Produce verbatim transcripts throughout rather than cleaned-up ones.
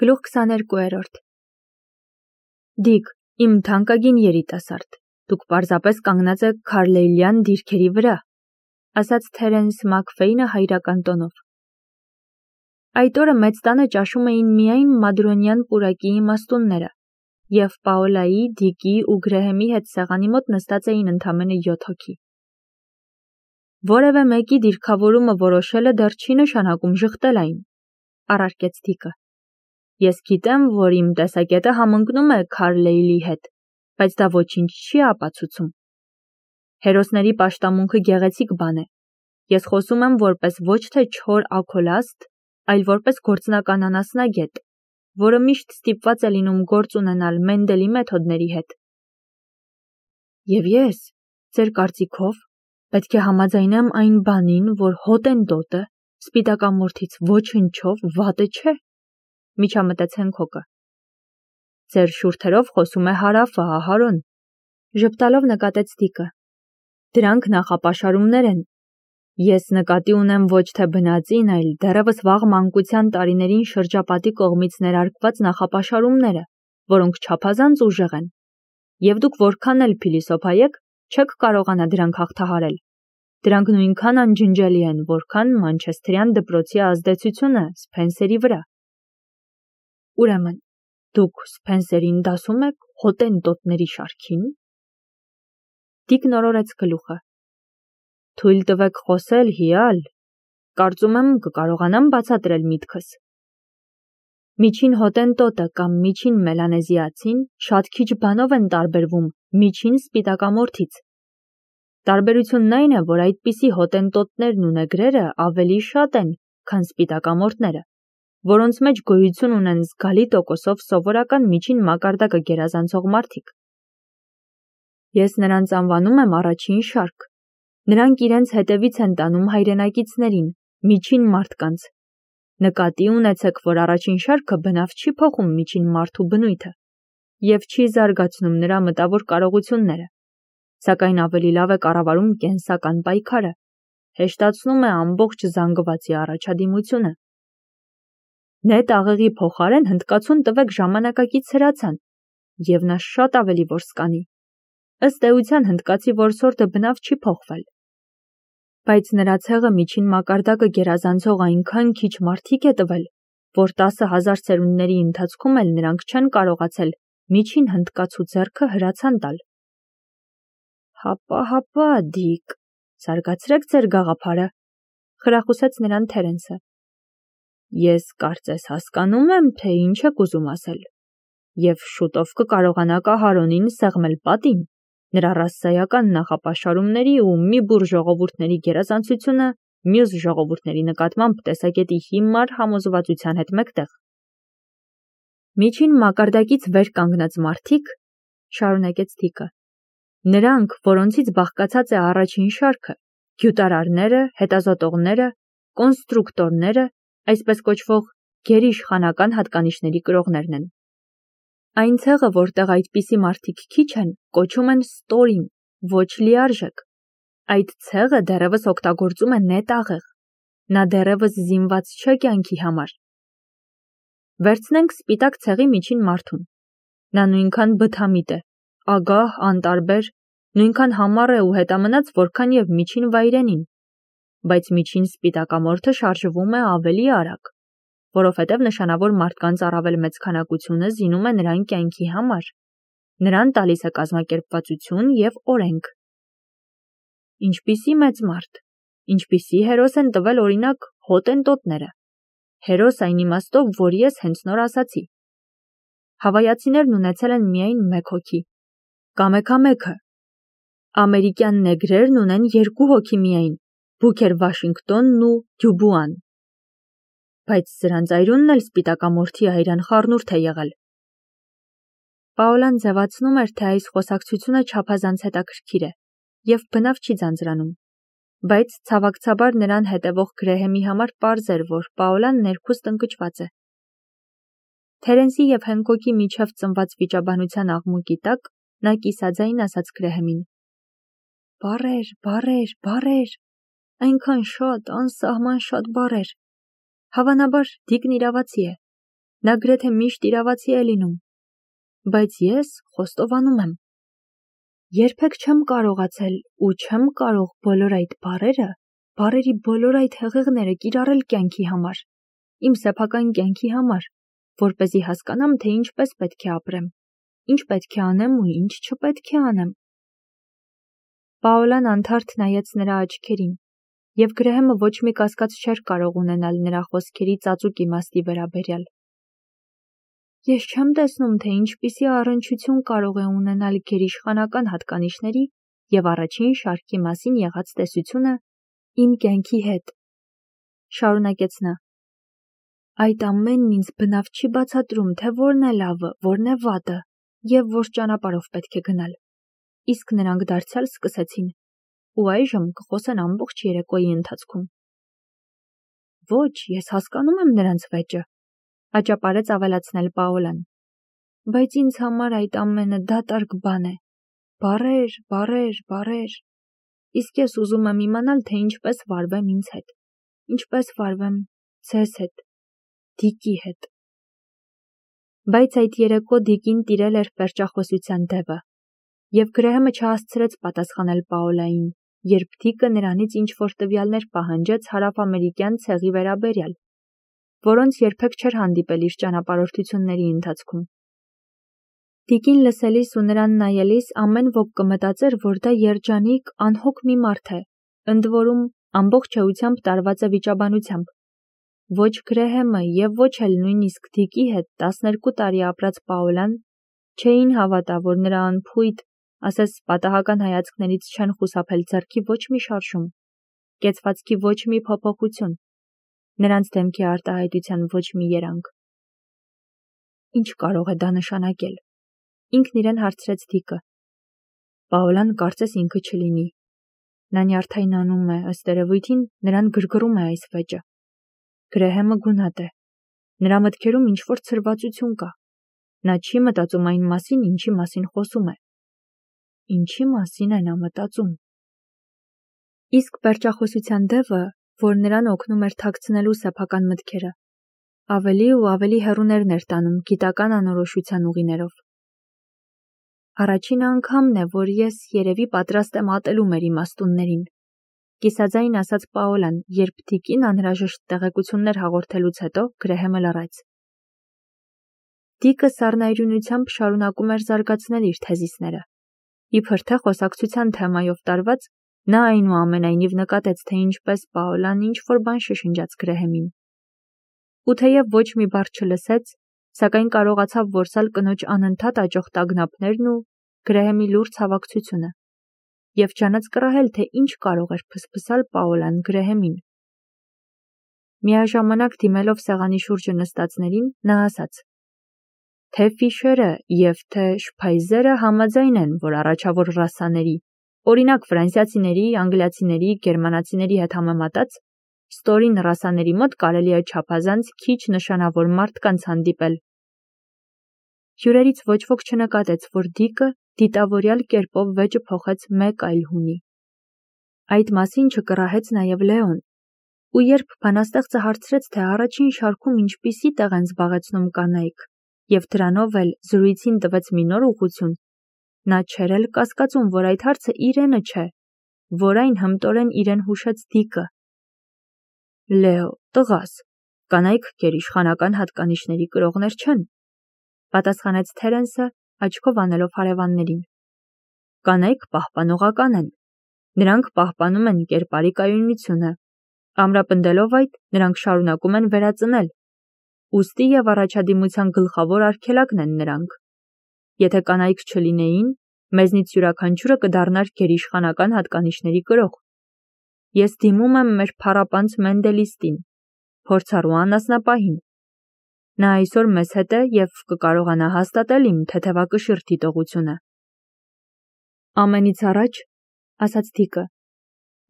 Գլուխ քսաներկուերորդ Դիկ, իմ թանկագին երիտասարդ, դուք պարզապես կանգնած եք Քարլեյլյան դիրքերի վրա, ասաց Թերենս Մաքֆեյնը հայրական տոնով։ Այդ օրը մեծ տանը ճաշում էին միայն մադրոնյան պուրակի իմաստունները, և Պաոլայի, Դիկի ու Գրեհեմի հետ սեղանի մոտ նստած էին ընդամենը յոթ հոգի։ Որևէ մեկի դիրքավորումը որոշելը դեռ չի նշանակում ժխտել այն, առարկեց Դիկը։ Ես գիտեմ, որ իմ տեսակետը համընկնում է Քարլեյլի հետ, բայց դա ոչինչ չի ապացուցում։ Հերոսների պաշտամունքը գեղեցիկ բան է։ Ես խոսում եմ որպես ոչ թե չոր աքոլաստ, այլ որպես գործնական անասնագետ, որը միշտ ստիպված է լինում գործ ունենալ Մենդելի մեթոդների հետ։ Եվ ես, ձեր կարծիքով, պետք է համաձայնեմ այն բանին, որ հոտենտոտը սպիտակամորթից ոչնչով վատը չէ, միջամտեց Հենքոկը։ Ձեր շուրթերով խոսում է հարավը, Ահարոն, ժպտալով նկատեց Դիկը։ Դրանք նախապաշարումներ են։ Ես նկատի ունեմ ոչ թե բնածին, այլ դեռևս վաղ մանկության տարիներին շրջապատի կողմից ներարկված նախապաշարումները, որոնք չափազանց ուժեղ են, և դուք որքան էլ փիլիսոփայեք, չեք կարողանա դրանք հաղթահարել։ Դրանք նույնքան անջնջելի են, որքան մանչեսթերյան դպրոցի ազդեցությունը Սփենսերի վրա։ Ուրեմն, դուք Սփենսերին դասում եք հոտենտոտների շարքին։ Դիկն օրորեց գլուխը։ Թույլ տվեք խոսել, հիալ, կարծում եմ կկարողանամ բացատրել միտքս։ Միջին հոտենտոտը կամ միջին մելանեզիացին շատ քիչ բանով են տարբերվում միջին սպիտակամորթից։ Տարբերությունն այն է, որ այդպիսի հոտենտոտներն ու նեգրերը ավելի շատ են, քան սպիտակամորթները, որոնց մեջ գոյություն ունեն զգալի տոկոսով սովորական միջին մակարդակը գերազանցող մարդիկ։ Ես նրանց անվանում եմ առաջին շարք։ Նրանք իրենց հետևից են տանում հայրենակիցներին, միջին մարդկանց։ Նկատի ունեցեք, որ առաջին շարքը բնավ չի փոխում միջին մարդու բնույթը և չի զարգացնում նրա մտավոր կարողությունները, սակայն ավելի լավ է կառավարում կենսական պայքարը, հեշտացնում է ամբողջ զանգվածի առաջադիմությունը։ Նետ աղեղի փոխարեն հնդկացուն տվեք ժամանակակից հրացան, և նա շատ ավելի որս կանի։ Ըստ էության հնդկացի որսորդը բնավ չի փոխվել, բայց նրա ցեղը միջին մակարդակը գերազանցող այնքան քիչ մարդիկ է տվել, որ տասը հազար սերունդների ընթացքում էլ նրանք չեն կարողացել միջին հնդկացու ձեռքը հրացան տալ։ Հապա, հապա, Դիկ, զարգացրեք ձեր գաղափարը, խրախուսեց նրան Թերենսը։ Ես կարծես հասկանում եմ, թե ինչ եք ուզում ասել, և շուտով կկարողանաք Ահարոնին սեղմել պատին, նրա ռասայական նախապաշարումների ու մի բուռ ժողովուրդների գերազանցությունը մյուս ժողովուրդների նկատմամբ տեսակետի հիմար համոզվածության հետ մեկտեղ։ Միջին մակարդակից վեր կանգնած մարդիկ, շարունակեց Դիկը, նրանք, որոնցից բաղկացած է առաջին շարքը, գյուտարարները, հետազոտողները, կոնստրուկտորները, այսպես կոչվող գերիշխանական հատկանիշների կրողներն են։ Այն ցեղը, որտեղ այդպիսի մարդիկ քիչ են, կոչում են ստորին, ոչ լիարժեք։ Այդ ցեղը դեռևս օգտագործում է նետ աղեղ։ Նա դեռևս զինված չէ կյանքի համար։ Վերցնենք սպիտակ ցեղի միջին մարդուն։ Նա նույնքան բթամիտ է, ագահ, անտարբեր, նույնքան համառ է ու հետամնաց, որքան և միջին վայրենին, բայց միջին սպիտակամորթը շարժվում է ավելի արագ, որովհետև նշանավոր մարդկանց առավել մեծ քանակությունը զինում է նրան կյանքի համար, նրան տալիս է կազմակերպվածություն և օրենք։ Ինչպիսի մեծ մարդ, ինչպիսի հերոս են տվել օրինակ հոտենտոտները, հերոս այն իմաստով, որ ես հենց նոր ասացի։ Հավայացիներն ունեցել են միայն մեկ հոգի, կամեքամեքը, ամերիկյան նեգրերն ունեն երկու հոգի միայն, Բուքեր Վաշինգտոնն ու Դյուբուան, բայց սրանց այրունն էլ սպիտակամորթի այրան խառնուրդ է եղել։ Պաոլան ձևացնում էր, թե այս խոսակցությունը չափազանց հետաքրքիր է և բնավ չի ձանձրանում, բայց ցավակցաբար նրան հետևող Գրեհեմի համար պարզ էր, որ Պաոլան ներքուստ ընկճված է։ Թերենսի և Հենքոկի միջև ծնված վիճաբանության աղմուկի տակ նա կիսաձայն ասաց Գրեհեմին. Բառեր, բառեր, բառեր, այնքան շատ, անսահման շատ բառեր։ Հավանաբար Դիկն իրավացի է։ Նա գրեթե միշտ իրավացի է լինում, բայց ես խոստովանում եմ, երբեք չեմ կարողացել ու չեմ կարող բոլոր այդ բառերը, բառերի բոլոր այդ հեղեղները կիրառել կյանքի համար, իմ սեփական կյանքի համար, որպեսզի հասկանամ, թե ինչպես պետք է ապրեմ, ինչ պետք է անեմ ու ինչ չպետք է անեմ։ Պաոլան անթարթ նայեց նրա աչքերին, և Գրեհեմը ոչ մի կասկած չէր կարող ունենալ նրա խոսքերի ծածուկ իմաստի վերաբերյալ։ Ես չեմ տեսնում, թե ինչպիսի առնչություն կարող է ունենալ գերիշխանական հատկանիշների և առաջին շարքի մասին եղած տեսությունը իմ կյանքի հետ, շարունակեց նա։ Այդ ամենն ինձ բնավ չի բացատրում, թե որն է լավը, որն է վատը և որ ճանապարհով պետք է գնալ։ Իսկ նրանք դարձյալ սկսեցին, ու այժմ կխոսեն ամբողջ երեկոյի ընթացքում։ Ոչ, ես հասկանում եմ նրանց վեճը, աճապարեց ավելացնել Պաոլան, բայց ինձ համար այդ ամենը դատարկ բան է, բառեր, բառեր, բառեր, իսկ ես ուզում եմ իմանալ, թե ինչպես վարվեմ ինձ հետ, ինչպես վարվեմ ձեզ հետ, Դիկի հետ։ Բայց այդ երեկո Դիկին տիրել էր պերճախոսության դևը, և Գրեհեմը չհասցրեց պատասխանել Պաոլային, երբ Դիկը նրանից ինչ-որ տվյալներ պահանջեց հարավամերիկյան ցեղի վերաբերյալ, որոնց երբեք չէր հանդիպել իր ճանապարհորդությունների ընթացքում։ Դիկին լսելիս ու նրան նայելիս ամեն ոք կմտածեր, որ դա երջանիկ, անհոգ մի մարդ է, ընդ որում ամբողջ էությամբ տարված է վիճաբանությամբ։ Ոչ Գրեհեմը և ոչ էլ նույնիսկ Դիկի հետ տասներկու տարի ապրած Պաոլան չէին հավատա, որ նրա անփույթ, ասես պատահական հայացքներից չեն խուսափել ձեռքի ոչ մի շարժում, կեցվածքի ոչ մի փոփոխություն, նրանց դեմքի արտահայտության ոչ մի երանգ։ Ինչ կարող է դա նշանակել։ Ինքն իրեն հարցրեց Դիկը։ Պաոլան կարծես ինքը չլինի։ Նա նյարդայնանում է, ըստ երևույթին նրան գրգռում է այս վեճը։ Գրեհեմը գունատ է։ Նրա մտքերում ինչ-որ ցրվածություն կա։ Նա չի մտածում այն մասին, ինչի մասին խոսում է։ Ինչի մասին է նա մտածում։ Իսկ պերճախոսության դևը, որ նրան օգնում էր թաքցնելու սեփական մտքերը, ավելի ու ավելի հեռուներն էր տանում գիտական անորոշության ուղիներով։ Առաջին անգամն է, որ ես երևի պատրաստ եմ ատելու մեր իմաստուններին, կիսաձայն ասաց Պաոլան, երբ Դիկին անհրաժեշտ տեղեկություններ հաղորդելուց հետո Գրեհեմը լռեց։ Դիկը սառնայրունությամբ շարունակում էր զարգացնել իր թեզիսները։ Իբր թե խոսակցության թեմայով տարված, նա այնուամենայնիվ նկատեց, թե ինչպես Պաոլան ինչ-որ բան շշնջաց Գրեհեմին։ Ու թեև ոչ մի բառ չլսեց, սակայն կարողացավ որսալ կնոջ անընդհատ աճող տագնապներն ու Գրեհեմի լուրջ հավակցությունը, և ջանաց կռահել, թե ինչ կարող էր փսփսալ Պաոլան Գրեհեմին։ Միաժամանակ դիմելով սեղանի շուրջը նստածներին, նա ասաց. Թե Ֆիշերը և թե Շփայզերը համաձայն են, որ առաջավոր ռասաների, օրինակ ֆրանսիացիների, անգլիացիների, գերմանացիների հետ համեմատած, ստորին ռասաների մոտ կարելի է չափազանց քիչ նշանավոր մարդկանց հանդիպել։ Հյուրերից ոչ ոք չնկատեց, որ Դիկը դիտավորյալ կերպով վեճը փոխեց մեկ այլ հունի։ Այդ մասին չկռահեց նաև Լեոն, ու երբ բանաստեղծը հարցրեց, թե առաջին շարքում ինչպիսի տեղ են զբաղեցնում կանայք, և դրանով էլ զրույցին տվեց մի նոր ուղղություն, նա չէր էլ կասկածում, որ այդ հարցը իրենը չէ, որ այն հմտորեն իրեն հուշեց Դիկը։ Լեո, տղաս, կանայք գերիշխանական հատկանիշների կրողներ չեն, պատասխանեց Թերենսը, աչքով անելով հարևաններին։ Կանայք պահպանողական են։ Նրանք պահպանում են կերպարի կայունությունը։ Ամրապնդելով այդ, նրանք շարունակում են վերածնել։ Ուստի և առաջադիմության գլխավոր արգելակն են նրանք։ Եթե կանայք չլինեին, մեզնից յուրաքանչյուրը կդառնար գերիշխանական հատկանիշների կրող։ Ես դիմում եմ մեր փառապանծ Մենդելիստին, փորձառու անասնապահին։ Նա այսօր մեզ հետ է և կկարողանա հաստատել իմ թեթևակշիռ դիտողությունը։ Ամենից առաջ, ասաց Դիկը,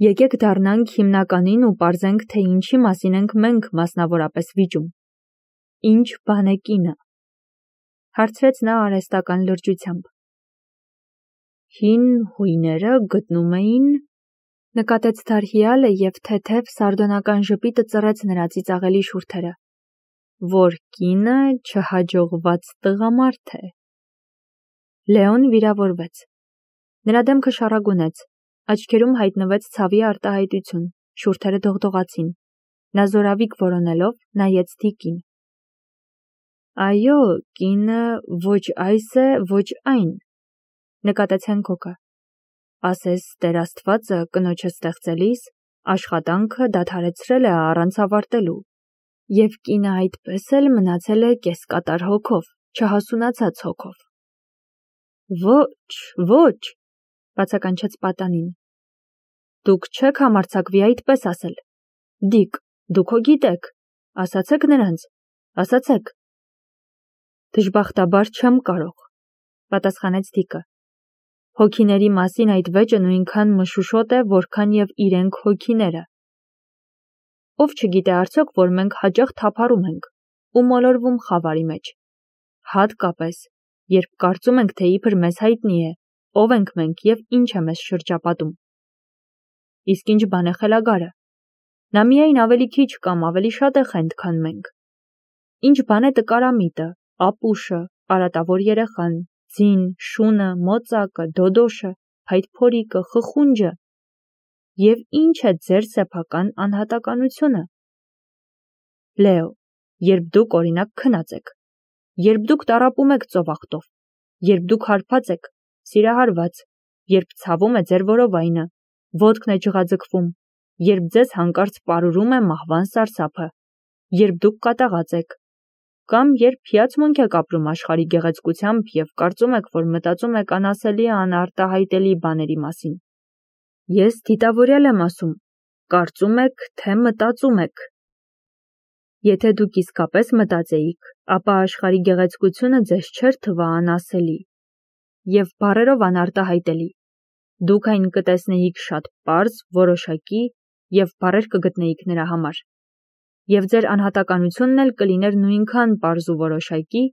եկեք դառնանք հիմնականին ու պարզենք, թե ինչի մասին ենք մենք մասնավորապես վիճում։ Ինչ բան է կինը, հարցրեց նա արհեստական լրջությամբ։ Հին հույները գտնում էին, նկատեց Դարհիալը և թեթև սարդոնական ժպիտը ծռեց նրա ծիծաղելի շուրթերը։ որ կինը չհաջողված տղամարդ է։ Լեոն վիրավորվեց։ Նրա դեմքը շառագունեց, աչքերում հայտնվեց ցավի արտահայտություն, շուրթերը դողդողացին։ Նա զորավիք որոնելով նայեց Դիկին։ Այո, կինը ոչ այս է, ոչ այն, նկատեց Հենքոկը։ Ասես Տեր Աստվածը կնոջը ստեղծելիս աշխատանքը դադարեցրել է առանց ավարտելու, և կինը այդպես էլ մնացել է կեսկատար հոգով, չհասունացած հոգով։ Ոչ, ոչ, բացականչեց պատանին։ Դուք չեք համարձակվի այդպես ասել։ Դիկ, դուք հո գիտեք, ասացեք նրանց, ասացեք։ Դժբախտաբար չեմ կարող, պատասխանեց Դիկը։ Հոգիների մասին այդ վեճը նույնքան մշուշոտ է, որքան և իրենք հոգիները։ Ով չգիտե արդյոք, որ մենք հաճախ թափառում ենք ու մոլորվում խավարի մեջ։ Հատկապես, երբ կարծում ենք, թե իբր մեզ հայտնի է, ով ենք մենք և ինչ է մեզ շրջապատում։ Իսկ ինչ բան է խելագարը։ Նա միայն ավելի քիչ կամ ավելի շատ է խենթ, քան մենք։ Ինչ բան է տկարամիտը, ապուշը, արատավոր երեխան, ձին, շունը, մոծակը, դոդոշը, փայտփորիկը, խխունջը, և ինչ է ձեր սեփական անհատականությունը։ Լեո, երբ դուք օրինակ քնած եք, երբ դուք տառապում եք ծովախտով, երբ դուք հարբած եք, սիրահարված, երբ ցավում է ձեր որովայնը, ոտքն է ջղաձգվում, երբ ձեզ հանկարծ պարուրում է մահվան սարսափը, երբ դուք կատաղած եք, կամ երբ հիացմունք եք ապրում աշխարհի գեղեցկությամբ և կարծում եք, որ մտածում եք անասելի անարտահայտելի բաների մասին։ Ես դիտավորյալ եմ ասում, կարծում եք, թե մտածում եք։ Եթե դուք իսկապես մտածեիք, ապա աշխարհի գեղեցկությունը ձեզ չէր թվա անասելի և բառերով անարտահայտելի։ Դուք այն կտեսնեիք շատ պարզ, որոշակի և բառեր կգտնեիք նրա համար։ Եվ ձեր անհատականությունն էլ կլիներ նույնքան պարզ ու որոշակի,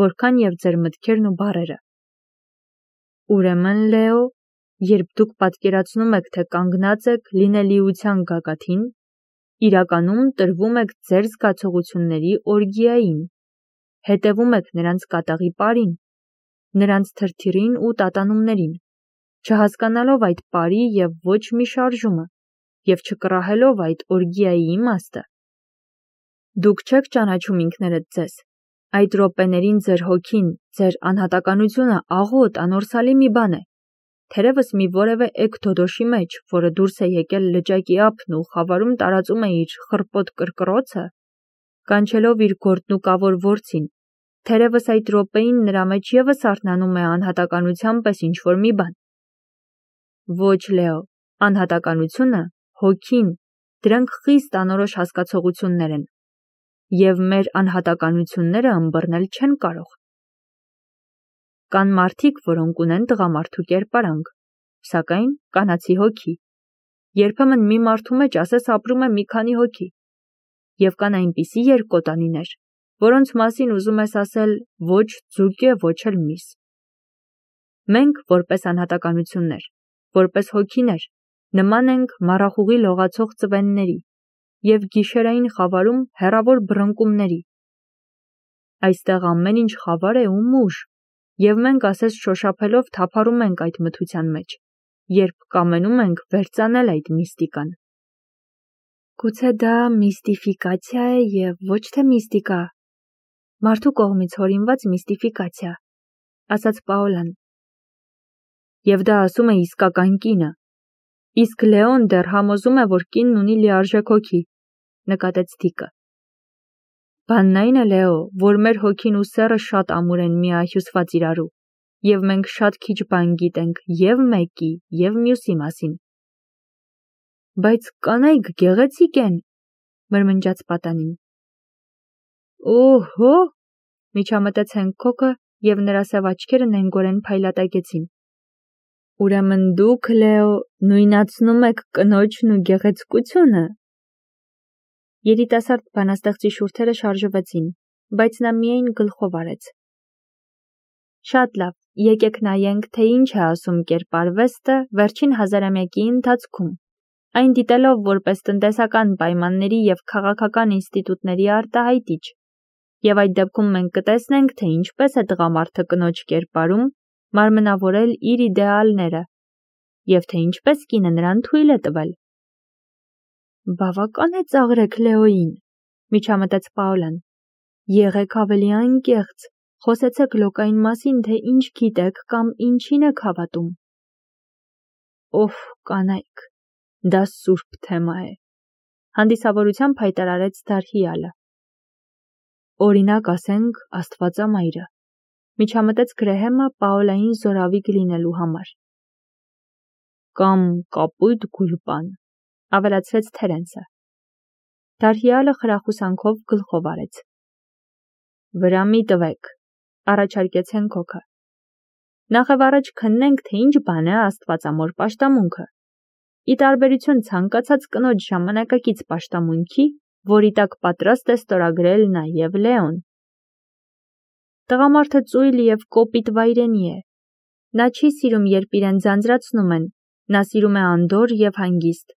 որքան և ձեր մտքերն ու բառերը։ Ուրեմն, Լեո, երբ դուք պատկերացնում եք, թե կանգնած եք լինելիության գագաթին, իրականում տրվում եք ձեր զգացողությունների օրգիային, հետևում եք նրանց կատաղի պարին, նրանց թրթիռին ու տատանումներին, չհասկանալով այդ պարի և ոչ մի շարժումը, և չկռահելով այդ օրգիայի իմաստը։ Դուք չեք ճանաչում ինքներդ ձեզ, այդ րոպեներին ձեր հոգին, ձեր անհատականությունը աղոտ, անորսալի մի բան է, թերևս մի որևէ էգ-դոդոշի մեջ, որը դուրս է եկել լճակի ափն ու խավարում տարածում է իր խռպոտ կրկռոցը, կանչելով իր գործնուկավոր որձին, թերևս այդ րոպեին նրա մեջ ևս արթնանում է անհատականության պես ինչ-որ մի բան։ Ոչ, Լեո, անհատականությունը, հոգին, դրանք խիստ անորոշ հասկացություններ են, և մեր անհատականությունները ըմբռնել չեն կարող։ Կան մարդիկ, որոնք ունեն տղամարդու կերպարանք, սակայն կանացի հոգի։ Երբեմն մի մարդու մեջ ասես ապրում է մի քանի հոգի։ Եվ կան այնպիսի երկկոտանիներ, որոնց մասին ուզում ես ասել ոչ ձուկ է, ոչ էլ միս։ Մենք, որպես անհատականություններ, որպես հոգիներ, նման ենք մառախուղի լողացող ծվենների և գիշերային խավարում հեռավոր բռնկումների։ Այստեղ ամեն ինչ խավար է ու մուժ, և մենք ասես շոշափելով թափառում ենք այդ մթության մեջ, երբ կամենում ենք վերծանել այդ միստիկան։ Գուցե դա միստիֆիկացիա է և ոչ թե միստիկա, մարդու կողմից հորինված միստիֆիկացիա, ասաց Պաոլան։ Եվ դա ասում է իսկական կինը։ Իսկ Լեոն դեռ համոզում է, որ կինն ունի լիարժեք հոգի, նկատեց Դիկը։ Բանն այն է, Լեո, որ մեր հոգին ու սեռը շատ ամուր են միահյուսված իրարու, և մենք շատ քիչ բան գիտենք և մեկի, և մյուսի մասին։ Բայց կանայք գեղեցիկ են, մրմնջաց պատանին։ Օհո, միջամտեց Հենքոկը, և նրա սև աչքերը նենգորեն փայլատակեցին։ Ուրեմն դուք, Լեո, նույնացնում եք կնոջն ու գեղեցկությունը։ Երիտասարդ բանաստեղծի շուրթերը շարժվեցին, բայց նա միայն գլխով արեց։ Շատ լավ, եկեք նայենք, թե ինչ է ասում կերպարվեստը վերջին հազարամյակի ընթացքում, այն դիտելով որպես տնտեսական պայմանների և քաղաքական ինստիտուտների արտահայտիչ, Եվ այդ դեպքում մենք կտեսնենք, թե ինչպես է տղամարդը կնոջ կերպարում մարմնավորել իր իդեալները և թե ինչպես կինը նրան թույլ է տվել։ Բավական է ծաղրեք Լեոյին, միջամտեց Պաոլան։ Եղեք ավելի անկեղծ, խոսեցեք Լոկային մասին, թե ինչ գիտեք կամ ինչին եք հավատում։ Օհ, կանայք, դա սուրբ թեմա է, հանդիսավորությամբ հայտարարեց Դարհիալը։ Օրինակ ասենք Աստվածամայրը, միջամտեց Գրեհեմը Պաոլային զորավիգ լինելու համար։ Կամ կապույտ գուլպան, ավելացրեց Թերենսը։ Դարհիալը խրախուսանքով գլխով արեց։ Վրա մի տվեք, առաջարկեց Հենքոքը։ Նախևառաջ քննենք, թե ինչ բան է աստվածամոր պաշտամունքը։ Ի տարբերություն ցանկացած կնոջ ժամանակակից պաշտամունքի, որի տակ պատրաստ է ստորագրել նաև Լեոն։ Տղամարդը ծույլ և կոպիտ վայրենի է։ Նա չի սիրում, երբ իրեն ձանձրացնում են, նա սիրում է անդորր և հանգիստ։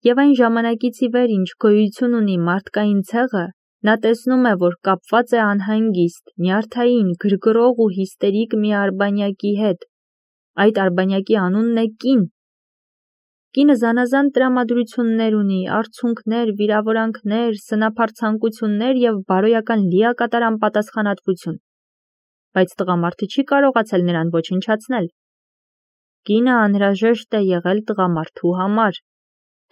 Եվ այն ժամանակից ի վեր, ինչ գոյություն ունի մարդկային ցեղը, նա տեսնում է, որ կապված է անհանգիստ, նյարդային, գրգռող ու հիստերիկ մի արբանյակի հետ։ Այդ արբանյակի անունն է կին։ Կինը զանազան տրամադրություններ ունի, արցունքներ, վիրավորանքներ, սնափառցանկություններ և բարոյական լիակատար անպատասխանատվություն, բայց տղամարդը չի կարողացել նրան ոչնչացնել։ Կինը անհրաժեշտ է եղել տղամարդու համար,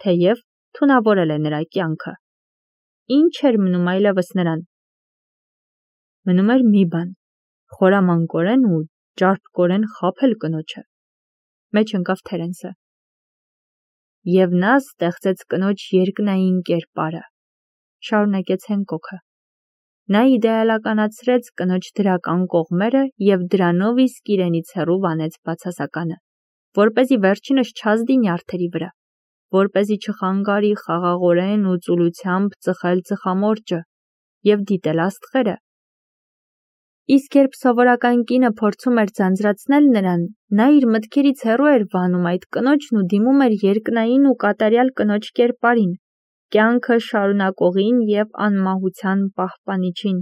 թեև թունավորել է նրա կյանքը։ Ինչ էր մնում այլևս նրան։ Մնում էր մի բան, խորամանկորեն ու ճարպկորեն խաբել կնոջը։ Մեջ ընկավ Թերենսը։ Եվ նա ստեղծեց կնոջ երկնային կերպարը, շարունակեց Հենքոքը։ Նա իդեալականացրեց կնոջ դրական կողմերը և դրանով իսկ իրենից հեռու վանեց բացասականը, որպեսզի վերջինս չազդի նյարդերի վրա, որպեսզի չխանգարի խաղաղորեն ու ծուլությամբ ծխել ծխամորճը և դիտել աստղերը։ Իսկ երբ սովորական կինը փորձում էր ձանձրացնել նրան, նա իր մտքերից հեռու էր վանում այդ կնոջն ու դիմում էր երկնային ու կատարյալ կնոջ կերպարին, կյանքը շարունակողին և անմահության պահպանիչին։